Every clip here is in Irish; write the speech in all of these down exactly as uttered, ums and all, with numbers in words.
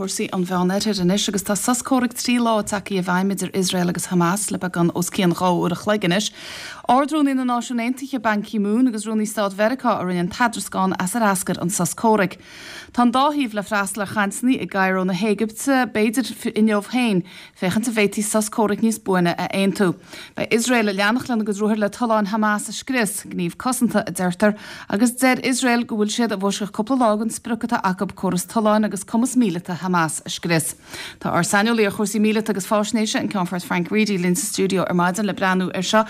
Cúrsaí an Mheánoirthir anois agus tá sos comhraic trí lá tagtha i bhfeidhm idir Iosrael agus Hamas le beagán os cionn dhá uair a chloig anois. Ard-Rúnaí na Náisiún Aontaithe Ban Ki-moon agus Rúnaí Stáit Mheiriceá a rinne an t-eadrascán as ar eascair an sos comhraic. Tá an dá thaobh le freastal ar chainteanna i gCairo na hÉigipte b'fhéidir inniu féin, féachaint an bhféadfaí sos comhraic níos buaine a aontú. Beidh Iosrael ag leanacht lena gcuid ruathar le tolláin Hamas a scrios, gníomh cosanta a deirtear, agus deir Iosrael go bhfuil siad i bhfoisceacht cúpla lá den sprioc atá acu córas tolláin agus cumas míleata Hamas a scrios. Tá ár saineolaí ar chúrsaí míleata agus faisnéise an Ceannfort Frank Reidy linn sa stiúideo ar maidin le breathnú ar seo.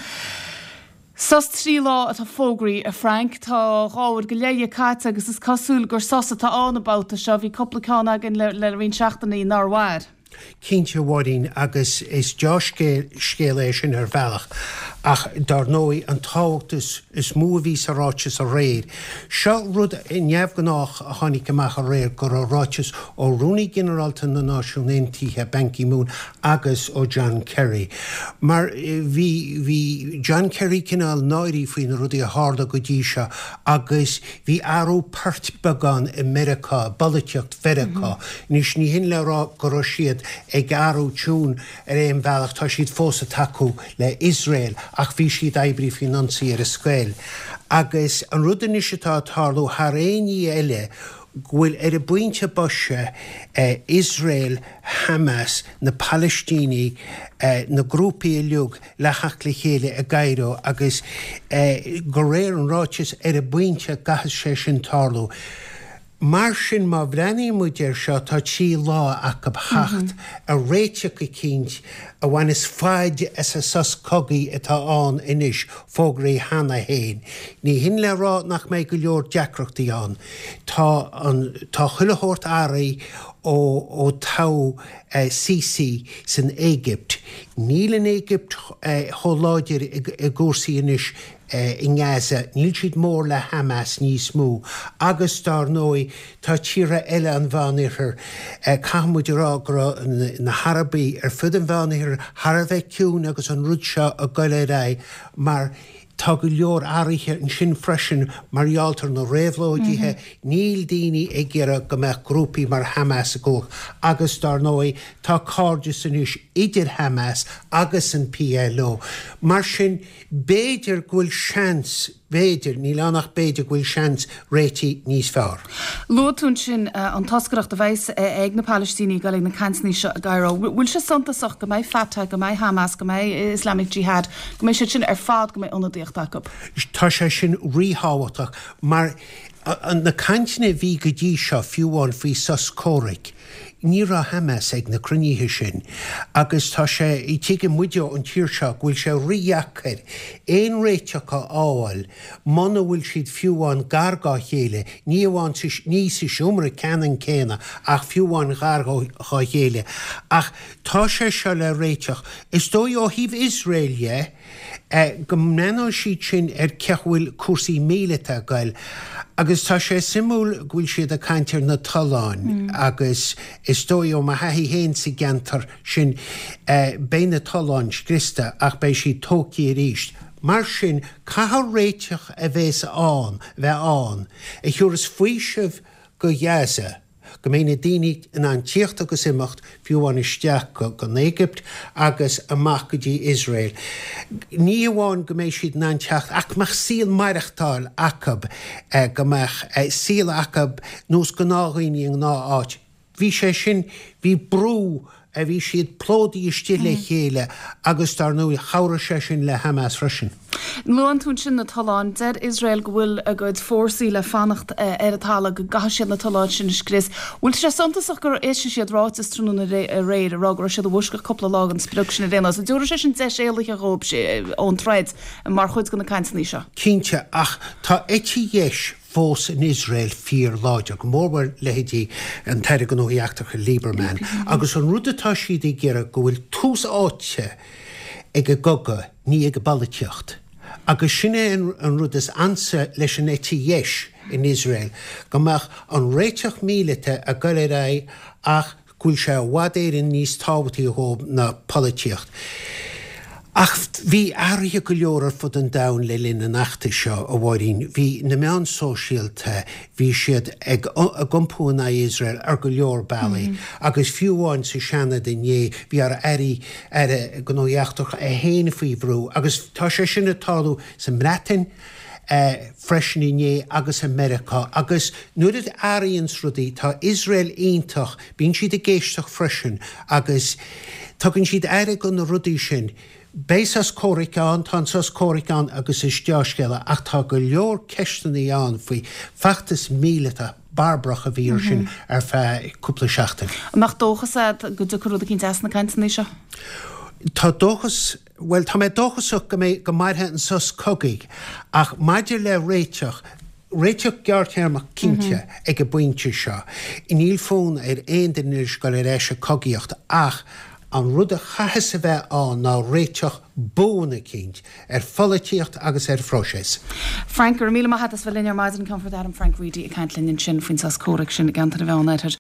Sos trí lá atá fógraithe a Frank tá dhá uair go leith caite agus is cosúil gur sos atá ann an babhta seo bhí cúpla ceann againn le, le roinnt seachtainí nár mhair. Cinnte a Mháirín agus is dea-scéal é sin ar bhealach ach dar ndóigh an tábhacht is, is mó a bhí sa ráiteas aréir. Seo rud neamhghnách a tháinig amach aréir go raibh ráiteas ó Rúnaí Ginearálta na Náisiún Aontaithe Ban Ki-moon agus ó John Kerry. Mar bhí bhí John Kerry cineál náirithe faoi na rudaí a tharla go dtí seo agus bhí athrú poirt beagán i Meiriceá, polaitíocht Mheiriceá. Mm -hmm. Anois ní hin le rá go raibh siad ag athrú tiún ar aon bhealach tá siad fós ag tacú le Israel ach bhí siad oibrithe faoin ionsaí ar an scoil. Agus an rud anois atá ag tarlú thar aon ní eile go bhfuil ar an bpointe boise eh, Israel, Hamas, na Palaistínigh, eh, na grúpaí uilig le theacht le chéile i gCairo agus eh, de réir an ráiteas ar an bpointe caithfidh sé sin tarlú. Mar sin má bhreathnaíonn muid air seo tá trí lá acu theacht ar réiteach eicínt a bhaineas faid as an sos cogaidh atá ann anois fógraithe cheana féin. Ní hin le rá nach mbeidh go leor deacrachtaí ann. Tá an tá chuile shórt athraithe ó ó toghadh eh, Sisi san Éigipt. Níl an Éigipt eh, chomh láidir i i gcúrsaí anois eh, i nGaza, níl siad mór le Hamas níos mó, agus dar ndóigh tá tíortha eile an Mheánoirthir eh, caithfimid rá go raibh na, na hArabaigh ar fud an Mheánoirthir thar a bheith ciúin agus an rud seo ag dul ar aghaidh mar tá go leor athruithe ansin freisin mar gheall ar na réabhlóidithe, mm -hmm. níl daoine ag iarraidh go mbeadh grúpaí mar Hamas i gcumhacht agus dar ndóigh tá cairdeas anois idir Hamas agus an PLO. Mar sin b'fhéidir go bhfuil seans b'fhéidir níl ann ach b'fhéidir go bhfuil seans réitigh níos fearr. Luaigh tú sin uh, an toscaireacht a bheas uh, ag na Palaistínigh ag na cainteanna seo i gCairo. Bhfuil sé suntasach go mbeidh Fatah, go mbeidh Hamas, go mbeidh Islamic Jihad, go mbeidh siad sin ar fad go mbeidh ionadaíocht acu. Tá sé sin ríthábhachtach mar na cainteanna bhí go dtí seo fiú amháin faoi sos comhraic. Ní raibh Hamas ag na cruinnithe sin, agus tá sé i tuige muide an tír seo go bhfuil sé rídheacair aon réiteach a fháil muna bhfuil siad fiú amháin gar dá chéile, ní amháin ní sa seomra ceannann céanna ach fiú amháin gar dá chéile. Ach tá sé seo le réiteach. Is dóigh ó thaobh Iosrael dhe eh, go mbreathnóidh siad sin ar cén chaoi bhfuil cúrsaí míleata ag goil. Agus tá sé suimiúil go bhfuil siad ag caint ar na tolláin mm. agus is dóigh ó mo thaithí féin sa gceantar sin eh, beidh na tolláin scriosta ach beidh siad tógtha arís. Mar sin caithfidh réiteach a bheith ann bheith ann a thabharfas faoiseamh go Gaza go mbeidh na daoine in ann tíocht agus imeacht fiú amháin isteach go go Éigipt agus amach go dtí Israel. Ní amháin go mbeidh siad in ann teacht ach mbeadh saol maireachtáil acu eh, go mbeadh eh, saol acu nós gnáthdhaoine i ngnáth-áit. Bhí sé sin bhí brú a bhí siad plódaithe istigh le chéile agus dar ndóigh chabhraigh sé sin le Hamas freisin. Luann tú sin na tolláin deir Israel go bhfuil a gcuid fórsaí le fanacht eh, ar an talamh go gcaithfidh siad na tolláin sin a scrios. Bhfuil sé suntasach gur eisigh siad ráiteas tráthnóna aréir a rá go raibh siad i bhfoisceacht cúpla lá den sprioc sin a dhéanamh. So dúirt sé sin deis éalaithe dhóibh ón troid mar chuid de na cainteanna seo. Cinnte ach tá eite dheis fós in Israel fíorláidir, go mórmhór leithéidí an tAire Gnóthaí Eachtracha Lieberman, agus an rud atá siad ag iarraidh go bhfuil tús áite ag an gcogadh ní ag an bpolaitíocht. Agus sin é an, an rud is ansa leis an eite dheis in Israel, go mbeadh an réiteach míleata ag dul ar aghaidh ach go bhfuil sé i bhfad Éireann níos tábhachtaí dhóibh ná polaitíocht. Ach bhí athruithe go leor ar fud an domhain le linn an fheachtais seo, a Mháirín. Bhí na meáin sóisialta, bhí siad ag iompú in aghaidh Iosrael ar go leor bealaí. Agus fiú amháin sa Seanad inné, bhí ár Airí, Aire Gnóthaí Eachtracha é féin faoi bhrú. Agus tá sé sin ag tarlú sa mBreatain freisin inné agus i Meiriceá. Agus nuair a athraíonns rudaí, tá Iosrael iontach, bíonn siad ag éisteacht freisin agus tugann siad aire do na rudaí sin. Beidh sos comhraic ann, tá an sos comhraic ann agus is dea-scéala, ach tá go leor ceisteanna ann faoi feachtas míleata barbarach a bhí ar sin ar feadh cúpla seachtain. An mbeadh dóchas agat go dtiocfaidh rud eicínt as na cainteanna seo? Tá dóchas, bhuel tá mé dóchasach go mbeidh, go mairfidh an sos cogaidh ach maidir le réiteach, Réiteach gearrthéarmach cinnte ag an bpointe seo. Níl fonn ar aon duine anois dul ar ais ag cogaíocht ach an rud a chaithfeas a bheith ann ná réiteach buan eicínt ar pholaitíocht agus ar phróiseas. Frank, go raibh míle maith agat as bheith linn ar maidin. Ceannfort Airm Frank Reidy ag caint linn ansin faoin sos comhraic sin i gceantar an Mheánoirthir.